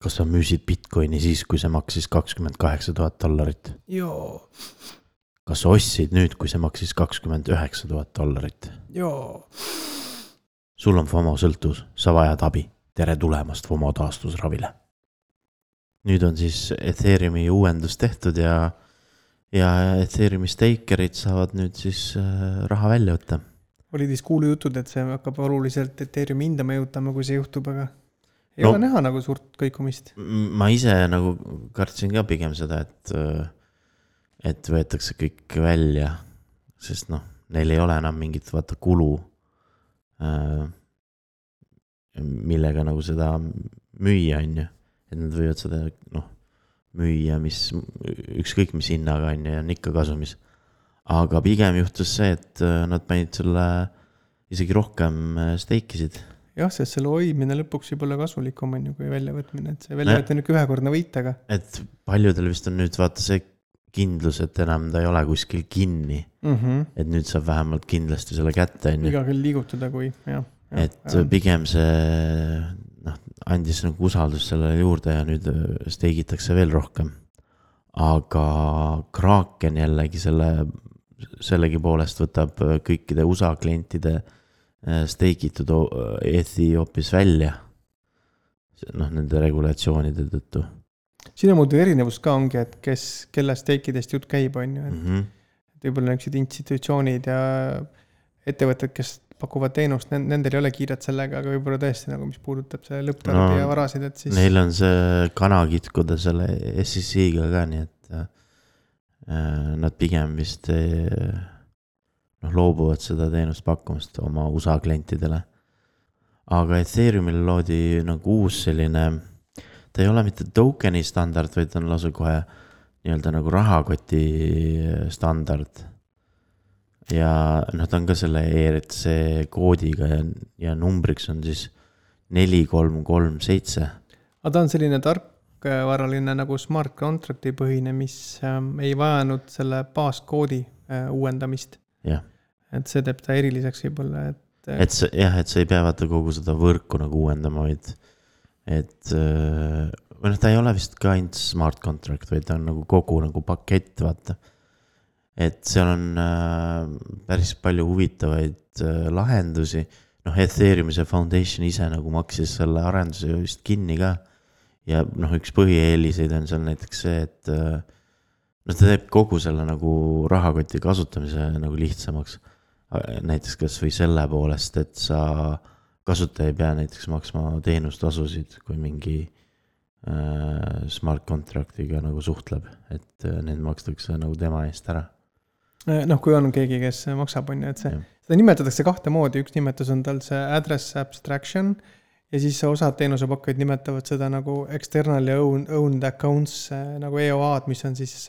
Kas sa müüsid Bitcoini siis, kui see maksis $28,000? Joo. Kas sa ostsid nüüd, kui see maksis $29,000? Joo. Sul on FOMO sõltuvus, sa vajad abi. Tere tulemast FOMO taastusravile. Nüüd on siis Ethereumi uuendus tehtud ja Ethereumi stakerid saavad nüüd siis raha välja võtta. Oli siis kuulujutud, et see hakkab oluliselt Ethereumi hinda mõjutama, kui see juhtub, aga ei ole näha nagu suurt kõikumist. Ma ise nagu kartsin ka pigem seda, et võetakse kõik välja, sest neil ei ole enam mingit kulu, millega nagu seda müüa on ju. Et nad võivad seda müüa, ükskõik mis hinnaga on ja on ikka kasumis. Aga pigem juhtus see, et nad panid selle isegi rohkem steikisid. Jah, sest selle hoidmine lõpuks võib olla kasulikum on ju, kui väljavõtmine. Et see väljavõtmine on ühekordne võit, aga... Et paljudel vist on nüüd vaata see kindlus, et enam ta ei ole kuskil kinni. Et nüüd saab vähemalt kindlasti selle kätte. Iga küll liigutada, kui... Et pigem see andis nagu usaldus sellele juurde ja nüüd steigitakse veel rohkem. Aga Kraken jällegi sellegi poolest võtab kõikide USA klientide steigitud Ethi hoopis välja nende regulatsioonide tõttu. Siin on muidu erinevus ka ongi, et kelle steikidest jutt käib on ju. Võib-olla niisugused institutsioonid ja ettevõtted, kes pakuvad teenust, nendel ei ole kiiret sellega, aga võib-olla tõesti nagu mis puudutab see lõpptarbija varasid, et siis... Neil on see kana kitkuda selle SEC-ga ka, nii et nad pigem vist loobuvad seda teenust pakkumast oma USA klientidele. Aga Ethereumil loodi nagu uus selline, ta ei ole mitte tokeni standard, vaid on lausa kohe nii-öelda nagu rahakoti standard. Ja ta on ka selle ERC koodiga ja numbriks on siis 4337. Aga ta on selline tarkvaraline nagu smart contracti põhine, mis ei vajanud selle baaskoodi uuendamist. Jah. Et see teeb ta eriliseks võib-olla. Et sa ei pea vaata kogu seda võrku nagu uuendama, et ta ei ole vist ka ainult smart contract, vaid ta on nagu kogu nagu pakett, vaata. Et seal on päris palju huvitavaid lahendusi. Ethereumi see foundation ise nagu maksis selle arenduse vist kinni ka. Ja üks põhieeliseid on seal näiteks see, et ta teeb kogu selle nagu rahakoti kasutamise nagu lihtsamaks. Näiteks kas või selle poolest, et sa kasutaja ei pea näiteks maksma teenustasusid, kui mingi smart contractiga nagu suhtleb, et need makstakse nagu tema eest ära. Kui on keegi, kes maksab, on ju, et seda nimetatakse kahte moodi. Üks nimetus on tal see address abstraction ja siis osad teenusepakkujad nimetavad seda nagu external ja owned accounts nagu EOA-d, mis on siis,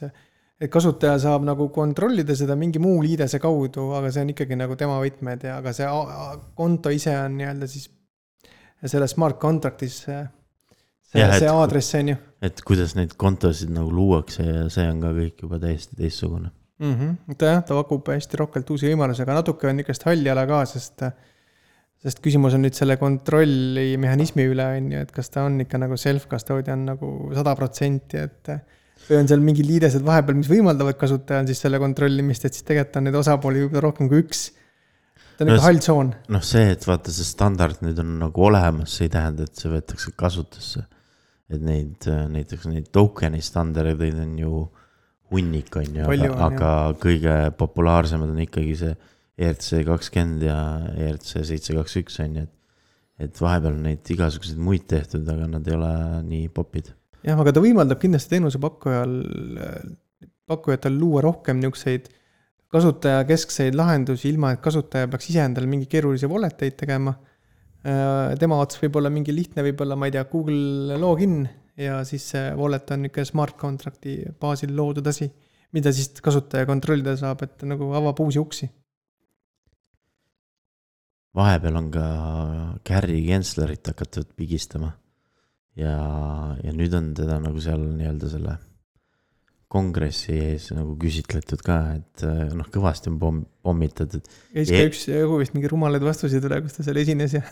et kasutaja saab nagu kontrollida seda mingi muu liidese kaudu, aga see on ikkagi nagu tema võtmed ja aga see konto ise on nii-öelda siis selle smart contractis see aadress on ju. Et kuidas neid kontosid nagu luuakse ja see on ka kõik juba täiesti teistsugune. Ta pakub hästi rohkelt uusi võimalusi, aga natuke on ikast halli ala ka, sest küsimus on nüüd selle kontrolli mehhanismi üle, et kas ta on ikka nagu self-custodian nagu 100%, et või on seal mingi liidesed vahepeal, mis võimaldavad kasutajal siis selle kontrollimist, et siis tegelikult on neid osapooli võib-olla rohkem kui üks. Ta on ikka hall tsoon. See, et vaata see standard nüüd on nagu olemas, see ei tähenda, et see võetakse kasutusse. Et näiteks neid tokeni standardeid on ju hunnik on ju, aga kõige populaarsemad on ikkagi see ERC20 ja ERC721 on ju, et vahepeal on neid igasuguseid muid tehtud, aga nad ei ole nii popid. Jah, aga ta võimaldab kindlasti teenusepakkujatel luua rohkem niukseid kasutaja keskseid lahendusi, ilma et kasutaja peaks ise endale mingi keerulisi walleteid tegema. Tema ots võib olla mingi lihtne, võib-olla, ma ei tea, Google login ja siis see wallet on ikka smart contracti baasil loodud asi, mida siis kasutaja kontrollida saab, et nagu avab uusi uksi. Vahepeal on ka Gary Genslerit hakatud pigistama ja nüüd on teda nagu seal nii-öelda selle kongressi ees nagu küsitletud ka, et noh, kõvasti on pommitatud. Käis ka üks vist mingi rumalaid vastuseid üle, kus ta seal esines ja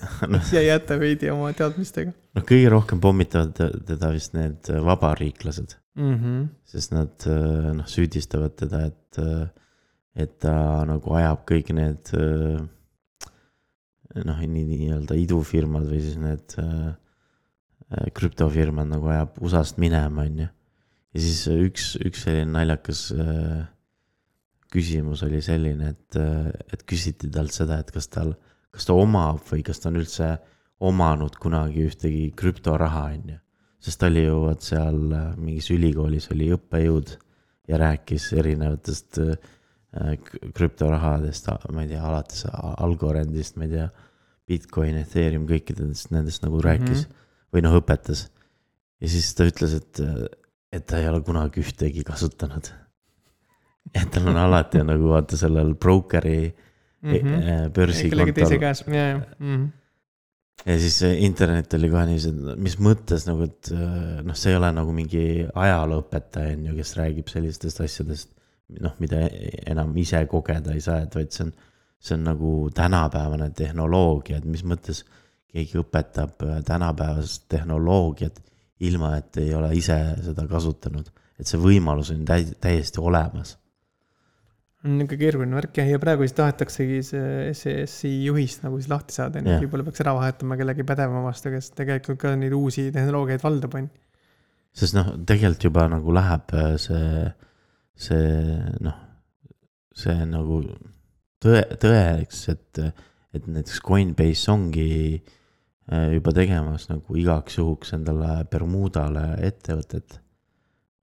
jäi jätta veidi oma teadmistega. Noh, kõige rohkem pommitavad teda vist need vabariiklased, sest nad noh, süüdistavad teda, et ta nagu ajab kõik need noh, nii-öelda idufirmad või siis need krüptofirmad nagu ajab USA-st minema, on ju. Ja siis üks selline naljakas küsimus oli selline, et küsiti talt seda, et kas ta omab või kas ta on üldse omanud kunagi ühtegi krüptoraha, on ju. Sest ta oli ju seal mingis ülikoolis oli õppejõud ja rääkis erinevatest krüptorahadest, ma ei tea, alates Algorandist, ma ei tea, Bitcoin, Ethereum, kõikidest nendest nagu rääkis või noh, õpetas. Ja siis ta ütles, et ta ei ole kunagi ühtegi kasutanud. Et tal on alati nagu vaata sellel brokeri börsi kontol. Ja siis internet oli kohe nii, mis mõttes nagu, et noh, see ei ole nagu mingi ajalooõpetaja, kes räägib sellistest asjadest, noh, mida enam ise kogeda ei saa, et vaid see on nagu tänapäevane tehnoloogia, et mis mõttes keegi õpetab tänapäevast tehnoloogiat ilma, et ei ole ise seda kasutanud, et see võimalus on täiesti olemas. On ikka keeruline värk ja praegu siis tahetaksegi see SES-i juhist nagu siis lahti saada, nii võib-olla peaks ära vahetama kellegi pädevama vastu, kes tegelikult ka neid uusi tehnoloogiaid valdab on. Sest noh, tegelikult juba nagu läheb see nagu tõeks, et näiteks Coinbase ongi juba tegemas nagu igaks juhuks endale Bermudale ettevõtet.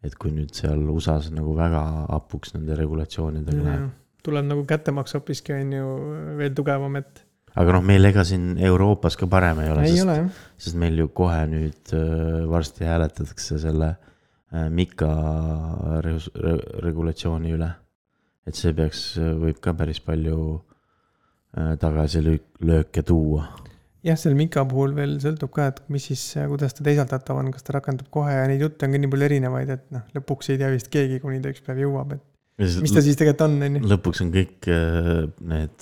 Et kui nüüd seal USAs nagu väga apuks nende regulatsioonidega läheb. Tuleb nagu kättemaks hoopiski on ju veel tugevam, et... Aga noh, meil ega siin Euroopas ka parem ei ole, sest meil ju kohe nüüd varsti hääletatakse selle Mika regulatsiooni üle. Et see võib ka päris palju tagasi lõöke tuua. Jah, seal Mika puhul veel sõltub ka, et mis siis, kuidas ta teisaldatav on, kas ta rakendub kohe ja neid jutte on ka nii palju erinevaid, et noh, lõpuks ei tea vist keegi, kuni ta üks päev jõuab, et mis ta siis tegelikult on, on. Lõpuks on kõik need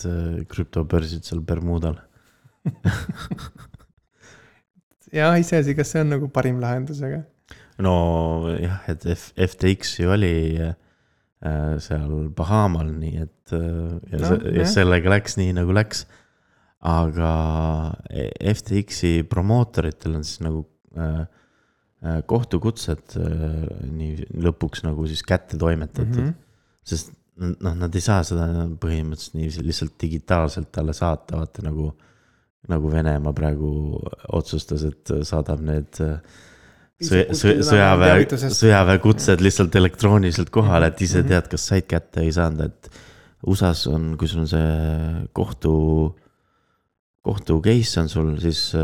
krüptobörsid seal Bermudal. Ja iseasi, kas see on nagu parim lahendus, aga... No jah, et FTX ju oli seal Bahamal, nii et ja sellega läks nii nagu läks. Aga FTX-i promootoritel on siis nagu kohtukutsed nii lõpuks nagu siis kätte toimetatud. Sest noh, nad ei saa seda põhimõtteliselt nii lihtsalt digitaalselt talle saata, vaata nagu Venemaa praegu otsustas, et saadab need sõjaväe kutsed lihtsalt elektrooniliselt kohale, et ise tead, kas said kätte ei saanud, et USAs on, kui sul on see kohtu case on sul, siis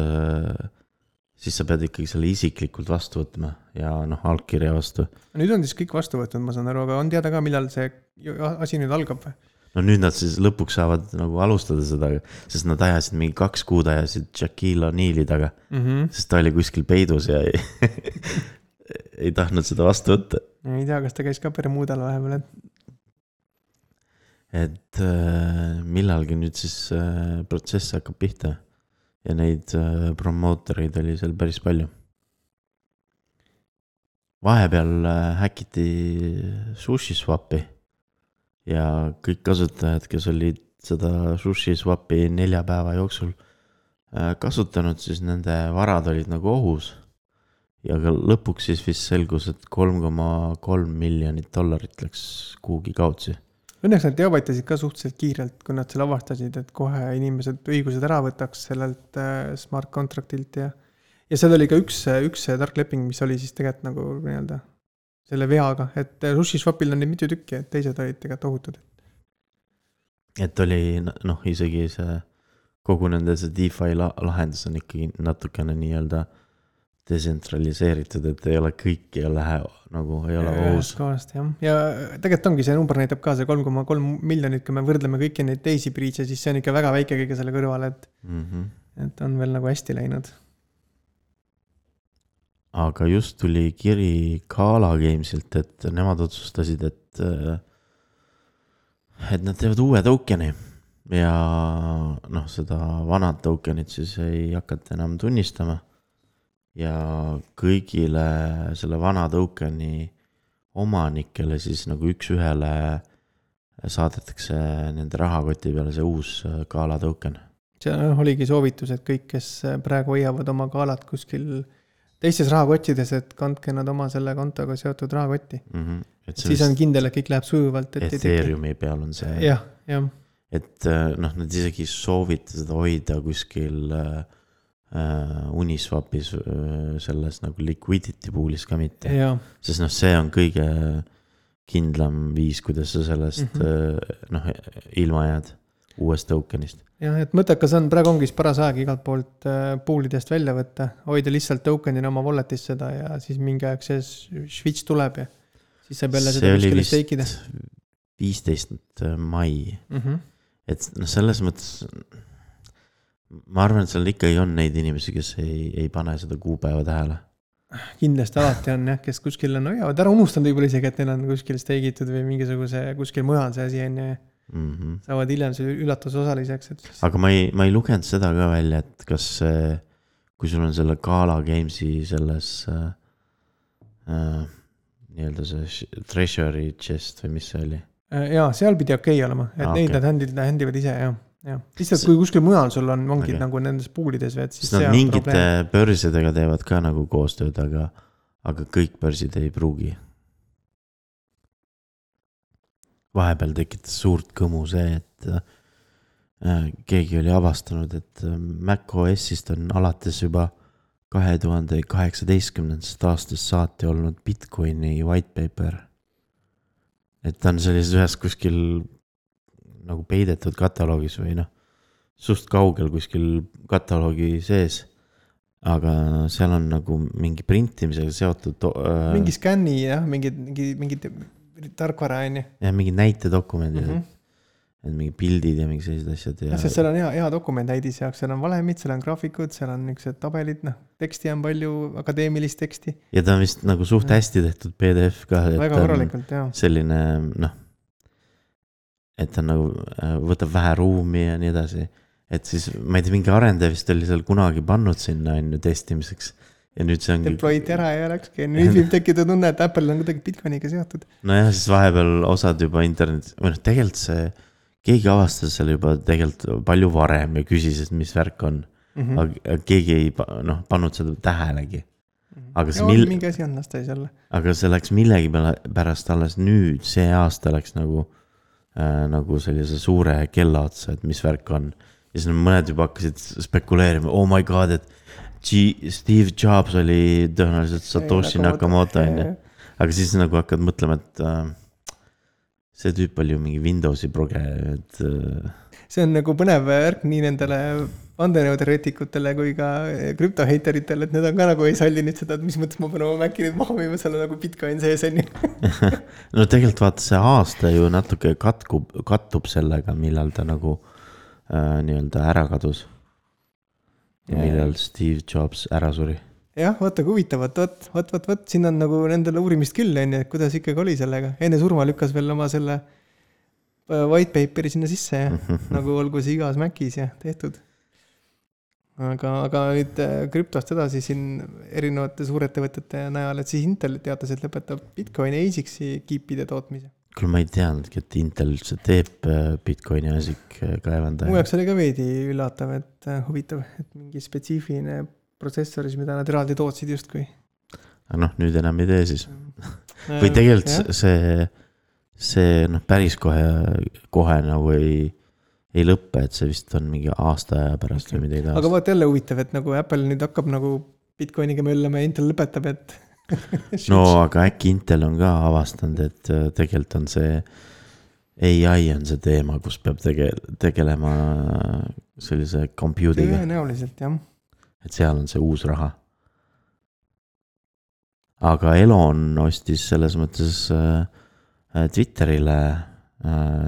sa pead ikkagi selle isiklikult vastu võtma ja noh, allkirja vastu. Nüüd on siis kõik vastu võtnud, ma saan aru, aga on teada ka, millal see asi nüüd algab või? No nüüd nad siis lõpuks saavad nagu alustada seda, sest nad ajasid mingi 2 kuud ajasid Shaquille O'Neali taga, sest ta oli kuskil peidus ja ei tahtnud seda vastu võtta. Ei tea, kas ta käis ka Bermudal vahepeal, et millalgi nüüd siis protsess hakkab pihta ja neid promootoreid oli seal päris palju. Vahepeal häkiti SushiSwapi ja kõik kasutajad, kes olid seda SushiSwapi 4 päeva jooksul kasutanud, siis nende varad olid nagu ohus ja ka lõpuks siis vist selgus, et $3.3 miljonit läks kuhugi kaotsi. Õnneks nad teavitasid ka suhteliselt kiirelt, kui nad selle avastasid, et kohe inimesed õigused ära võtaks sellelt smart contractilt ja seal oli ka üks tarkleping, mis oli siis tegelikult nagu nii-öelda selle veaga, et SushiSwapil on neid mitu tükki, et teised olid tegelikult ohutud. Et oli noh, isegi see kogu nende see DeFi lahendus on ikkagi natukene nii-öelda desentraliseeritud, et ei ole kõik ei lähe nagu ei ole ohus. Ja tegelikult ongi see number näitab ka see 3.3 miljonit, kui me võrdleme kõiki neid teisi breach'e, siis see on ikka väga väike kõige selle kõrval, et on veel nagu hästi läinud. aga just tuli kiri Gala Gamesilt, et nemad otsustasid, et nad teevad uue tokeni ja noh, seda vanad tokenit siis ei hakata enam tunnistama ja kõigile selle vana tokeni omanikele siis nagu üks-ühele saadetakse nende rahakoti peale see uus Gala token. See oligi soovitus, et kõik, kes praegu hoiavad oma Galat kuskil teistes rahakottides, et kandke nad oma selle kontoga seotud rahakotti. Siis on kindel, et kõik läheb sujuvalt. Ethereumi peal on see. Jah. Et noh, nad isegi soovita seda hoida kuskil Uniswapis selles nagu liquidity poolis ka mitte. Sest noh, see on kõige kindlam viis, kuidas sa sellest ilma jääd uuest tokenist. Jah, et mõttekas on, praegu ongi paras aeg igalt poolt poolidest välja võtta, hoida lihtsalt tokenina oma walletis seda ja siis mingi aeg see switch tuleb ja siis saab jälle seda kuskile steikida. See oli vist 15. mai. Et noh, selles mõttes ma arvan, et seal ikkagi on neid inimesi, kes ei pane seda kuupäeva tähele. Kindlasti alati on jah, kes kuskil on hoiavad. Ära unustanud võib-olla isegi, et neil on kuskil steigitud või mingisuguse kuskil mujal see asi on ja saavad hiljem see üllatusosaliseks. Et... Aga ma ei lugenud seda ka välja, et kas kui sul on selle Gala Gamesi selles nii-öelda see treasury chest või mis see oli? Jaa, seal pidi okei olema, et neid nad händivad ise, jah. Lihtsalt kui kuskil mujal sul ongi nagu nendes puulides või et siis see on mingite börsidega teevad ka nagu koostööd, aga kõik börsid ei pruugi. Vahepeal tekitas suurt kõmu see, et keegi oli avastanud, et macOSist on alates juba 2018. aastast saati olnud Bitcoini white paper. Et ta on sellises ühes kuskil nagu peidetud kataloogis või noh, suht kaugel kuskil kataloogi sees, aga seal on nagu mingi printimisega seotud mingi skänni, jah, mingi tarkvara on ju. Ja mingi näitedokumendid, et mingi pildid ja mingi sellised asjad. Ja sest seal on hea dokument näidis jaoks, seal on valemid, seal on graafikud, seal on niisugused tabelid, noh, teksti on palju, akadeemilist teksti. Ja ta on vist nagu suht hästi tehtud PDF ka. Väga korralikult, jah. Selline, noh, et ta nagu võtab vähe ruumi ja nii edasi. Et siis, ma ei tea, mingi arendaja vist oli seal kunagi pannud sinna testimiseks. Ja nüüd see ongi... Deploy'd ära ja läkski. Nüüd võib tekkida tunne, et Apple on kuidagi Bitcoiniga seotud. No jah, siis vahepeal osad juba internet... Või noh, tegelikult see... Keegi avastas selle juba tegelikult palju varem ja küsis, et mis värk on. Aga keegi ei pannud seda tähelegi. Aga mingi asi on lasta jälle. Aga see läks millegi pärast alles nüüd, see aasta läks nagu sellise suure kella otsa, et mis värk on. Ja siis mõned juba hakkasid spekuleerima, oh my god, et Steve Jobs oli tõenäoliselt Satoshi Nakamoto. Aga siis nagu hakkad mõtlema, et see tüüp oli ju mingi Windowsi proge. See on nagu põnev värk nii nendele vandenõuteoreetikutele kui ka krüptoheiteritele, et need on ka nagu ei salli nüüd seda, et mis mõttes ma pean oma Maci nüüd maha müüma, seal on nagu Bitcoin sees on ju. No tegelikult vaata see aasta ju natuke kattub sellega, millal ta nagu nii-öelda ära kadus. Ja millal Steve Jobs ära suri. Jah, vaata kui huvitavat, võt, siin on nagu nendele uurimist küll, et kuidas ikkagi oli sellega. Enne surma lükkas veel oma selle white paperi sinna sisse ja nagu olgu see igas Macis ja tehtud. Aga nüüd krüptost edasi siin erinevate suurettevõtete najal, et siis Intel teatas, et lõpetab Bitcoini ASIC-i kiipide tootmise. Küll ma ei teadnudki, et Intel üldse teeb Bitcoini ASIC kaevandaja. Mu jaoks oli ka veidi üllatav, et huvitav, et mingi spetsiifiline protsessoris, mida nad eraldi tootsid justkui. Aga noh, nüüd enam ei tee siis. Või tegelikult see päris kohe nagu ei lõppe, et see vist on mingi aasta aja pärast või midagi taas. Aga vaat jälle huvitav, et nagu Apple nüüd hakkab nagu Bitcoiniga möllama ja Intel lõpetab, et... No, aga äkki Intel on ka avastanud, et tegelikult on see AI on see teema, kus peab tegelema sellise computing'a. Tõenäoliselt, jah. Et seal on see uus raha. Aga Elon ostis selles mõttes Twitterile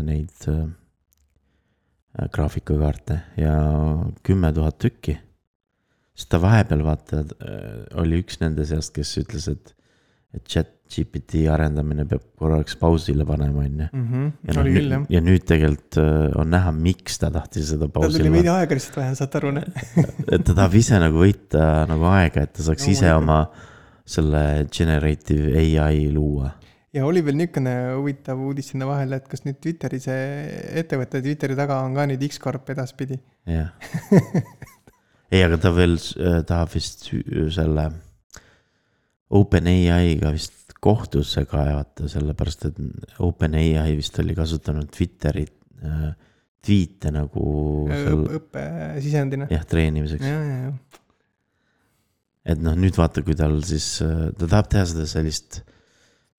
neid graafikakaarte ja 10 000 tükki. sest ta vahepeal vaata, oli üks nende seast, kes ütles, et ChatGPT arendamine peab korraks pausile panema, on ju. Ja nüüd tegelikult on näha, miks ta tahtis seda pausile. Ta tuli veidi aega lihtsalt vähe, saad aru, ne? Et ta tahab ise nagu võita nagu aega, et ta saaks ise oma selle generative AI luua. Ja oli veel niisugune huvitav uudis sinna vahele, et kas nüüd Twitteri see ettevõtte Twitteri taga on ka nüüd X-Corp edaspidi. Jah. Ei, aga ta veel tahab vist selle OpenAI-ga vist kohtusse kaevata, sellepärast, et OpenAI vist oli kasutanud Twitteri tweete nagu õppesisendina. Jah, treenimiseks. Ja. Et noh, nüüd vaata, kui tal siis, ta tahab teha seda sellist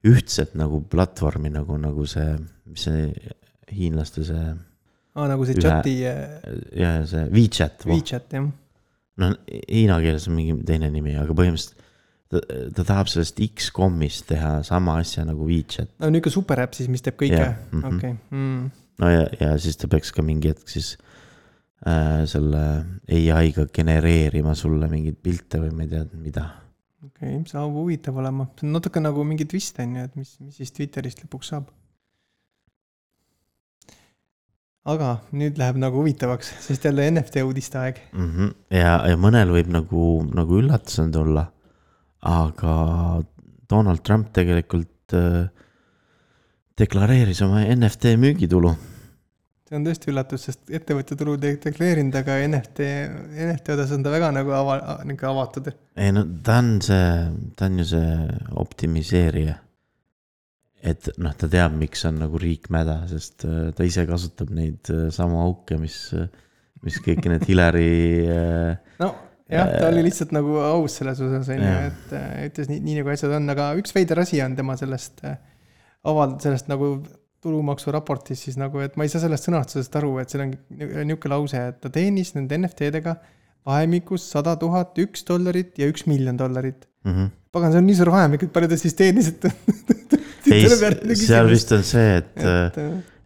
ühtset nagu platvormi, nagu see, mis see hiinlaste see... nagu see chati... Ja see WeChat. WeChat, jah. No hiina keeles on mingi teine nimi, aga põhimõtteliselt ta tahab sellest X-Comist teha sama asja nagu WeChat. No nüüd ka superäpp siis, mis teeb kõike. Okay. No ja siis ta peaks ka mingi hetk siis selle AI-ga genereerima sulle mingid pilte või ma ei tea, mida. Okay, saab huvitav olema. See on natuke nagu mingi twist on ju, et mis siis Twitterist lõpuks saab. Aga nüüd läheb nagu huvitavaks, sest jälle NFT uudiste aeg. Ja mõnel võib nagu üllatusend olla. Aga Donald Trump tegelikult deklareeris oma NFT müügitulu. See on tõesti üllatus, sest ettevõtte tulu deklareerinud, aga NFT odas on ta väga nagu avatud. Ei no ta on ju see optimiseerija. Et noh, ta teab, miks on nagu riik mäda, sest ta ise kasutab neid samu auke, mis kõik need Hillary... No. Jah, ta oli lihtsalt nagu aus selles osas, et ütles nii nagu asjad on, aga üks veider asi on tema sellest nagu tulumaksu raportis siis nagu, et ma ei saa sellest sõnastusest aru, et seal on niisugune lause, et ta teenis nende NFT-dega vahemikus $100,000, $1 ja $1 miljon. Pagan, see on nii suur vahemik, et palju ta siis teenis, et... Ei, seal vist on see,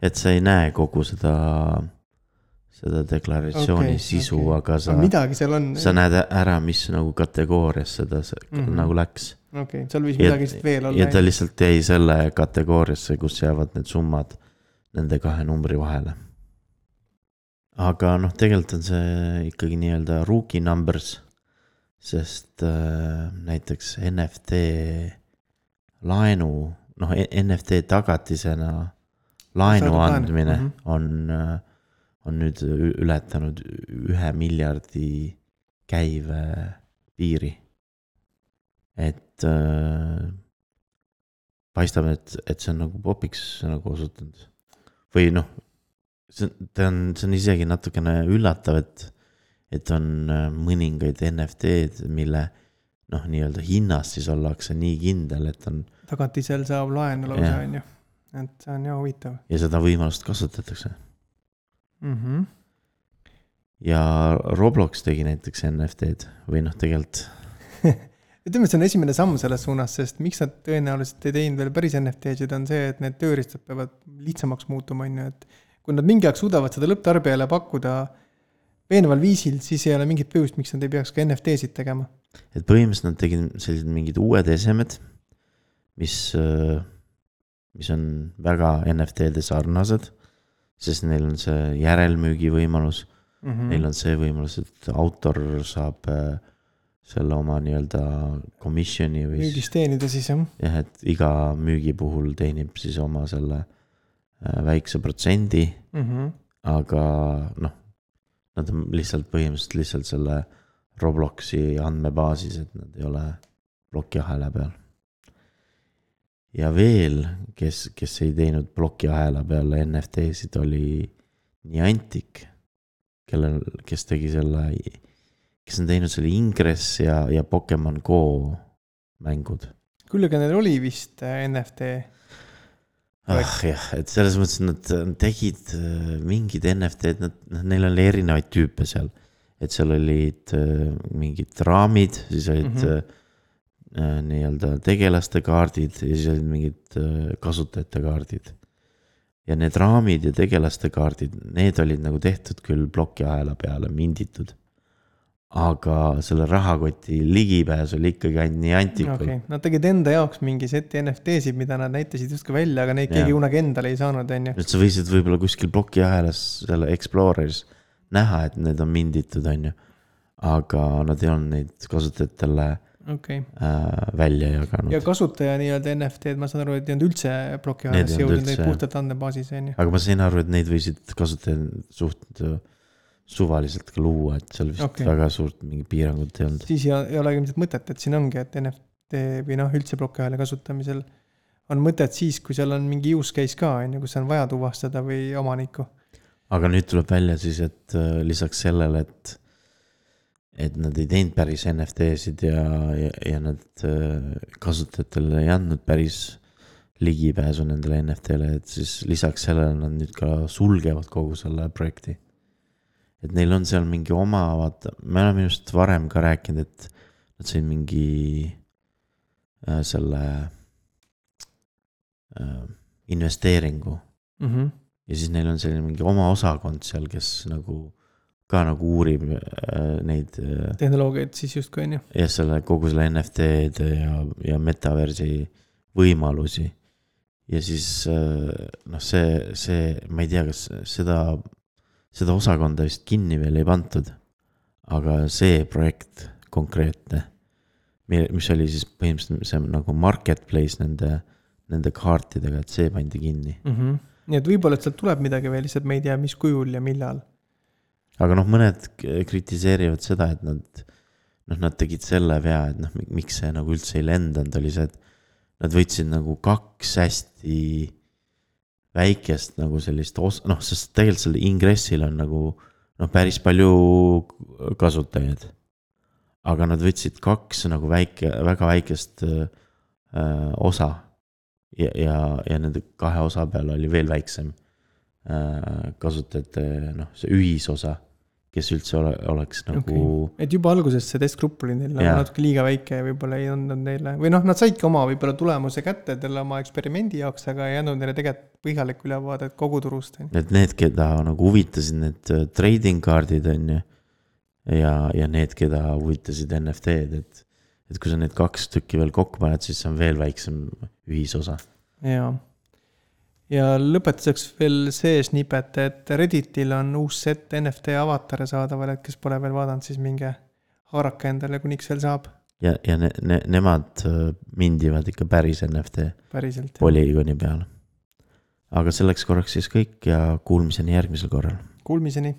et sa ei näe kogu seda deklaratsiooni sisu, aga sa näed ära, mis nagu kategoorias seda nagu läks. Okei, seal võis midagi veel olla. Ja ta lihtsalt jäi selle kategooriasse, kus jäävad need summad nende kahe numbri vahele. Aga noh, tegelikult on see ikkagi nii-öelda rookie numbers, sest näiteks NFT laenu, noh NFT tagatisena laenu andmine on nüüd ületanud 1 miljardi käive piiri. Et paistab, et see on nagu popiks nagu osutunud. Või noh, see on isegi natukene üllatav, et on mõningaid NFT-d, mille noh, nii-öelda hinnast siis ollakse nii kindel, et on... Tagatisel saab laenu lausa, on ju. Et see on jah huvitav. Ja seda võimalust kasutatakse. Ja Roblox tegi näiteks NFT-d või noh, tegelikult ütleme, see on esimene samm selles suunas, sest miks nad tõenäoliselt ei teinud veel päris NFT-d on see, et need tööriistad peavad lihtsamaks muutuma, et kui nad mingi aeg suudavad seda lõpptarbijale pakkuda veenval viisil, siis ei ole mingit põhjust, miks nad ei peaks ka NFT-sid tegema. Et põhimõtteliselt nad tegid sellised mingid uued esemed, mis on väga NFT-de sarnased, sest neil on see järelmüügi võimalus, neil on see võimalus, et autor saab selle oma nii-öelda commissioni või müügist teenida siis, jah. Jah, et iga müügi puhul teenib siis oma selle väikse protsendi, aga noh, nad on põhimõtteliselt selle Robloxi andmebaasis, et nad ei ole plokiahela peal. Ja veel, kes ei teinud plokiahela peale NFT-sid, oli Niantic, kes tegi selle, kes on teinud selle Ingress ja Pokemon Go mängud. Küll, aga neil oli vist NFT. Jah, et selles mõttes nad tegid mingid NFT-d, neil oli erinevaid tüüpe seal. Et seal olid mingid raamid, siis olid nii-öelda tegelaste kaardid ja siis olid mingid kasutajate kaardid. Ja need raamid ja tegelaste kaardid, need olid nagu tehtud küll plokiahela peale minditud. aga selle rahakoti ligipääs oli ikkagi ainult nii antikul. Okay. Nad tegid enda jaoks mingi seti NFT-sid, mida nad näitasid justkui välja, aga neid keegi kunagi endale ei saanud, on ju. Nüüd sa võisid võib-olla kuskil plokiahelas selle Exploreris näha, et need on minditud, on ju. Aga nad ei olnud neid kasutajatele välja jaganud. Ja kasutaja nii-öelda NFT-d, ma saan aru, et ei olnud üldse plokiahelas jõudnud neid puhtalt andmebaasis, on ju. Aga ma sain aru, et neid võisid kasutajad suht suvaliselt ka luua, et seal vist väga suurt mingi piirangut ei olnud. Siis ei ole ilmselt mõtet, et siin ongi, et NFT või üldse plokiahela kasutamisel on mõtet siis, kui seal on mingi use case ka, kus on vaja tuvastada või omanikku. Aga nüüd tuleb välja siis, et lisaks sellele, et nad ei teinud päris NFT-sid ja nad kasutajatele ei andnud päris ligipääsu nendele NFT-le, et siis lisaks sellele nad nüüd ka sulgevad kogu selle projekti. Et neil on seal mingi oma, vaata, me oleme just varem ka rääkinud, et nad said mingi selle investeeringu. Ja siis neil on selline mingi oma osakond seal, kes nagu ka nagu uurib neid tehnoloogiaid siis just kui on ju. Ja selle kogu selle NFT-d ja metaversi võimalusi. Ja siis see, ma ei tea, kas seda osakonda vist kinni veel ei pantud, aga see projekt konkreetne, mis oli siis põhimõtteliselt see nagu marketplace nende kaartidega, et see pandi kinni. Nii et võib-olla, et sealt tuleb midagi veel, lihtsalt me ei tea, mis kujul ja millal. Aga mõned kritiseerivad seda, et nad tegid selle vea, et miks see nagu üldse ei lendanud, oli see, et nad võtsid nagu 2 hästi väikest nagu sellist sest tegelikult selle ingressil on nagu päris palju kasutajaid. Aga nad võtsid 2 nagu väga väikest osa ja nende 2 osa peal oli veel väiksem kasutajate see ühisosa, kes üldse oleks nagu Et juba alguses see testgrupp oli neil natuke liiga väike ja võib-olla ei andnud neile või nad saidki oma võib-olla tulemuse kätte teile oma eksperimendi jaoks, aga ei andnud neile tegelikult põhjaliku ülevaadet kogu turust. Et need, keda nagu huvitasid need trading kaardid on ju ja need, keda huvitasid NFT-d, et kui sa need 2 tükki veel kokku paned, siis see on veel väiksem ühisosa. Ja lõpetuseks veel see snippet, et Redditil on uus set NFT avatare saadaval, et kes pole veel vaadanud, siis minge haaraka endale, kuniks veel saab. Ja nemad mindivad ikka päris NFT polügooni peal. Aga selleks korraks siis kõik ja kuulmiseni järgmisel korral. Kuulmiseni.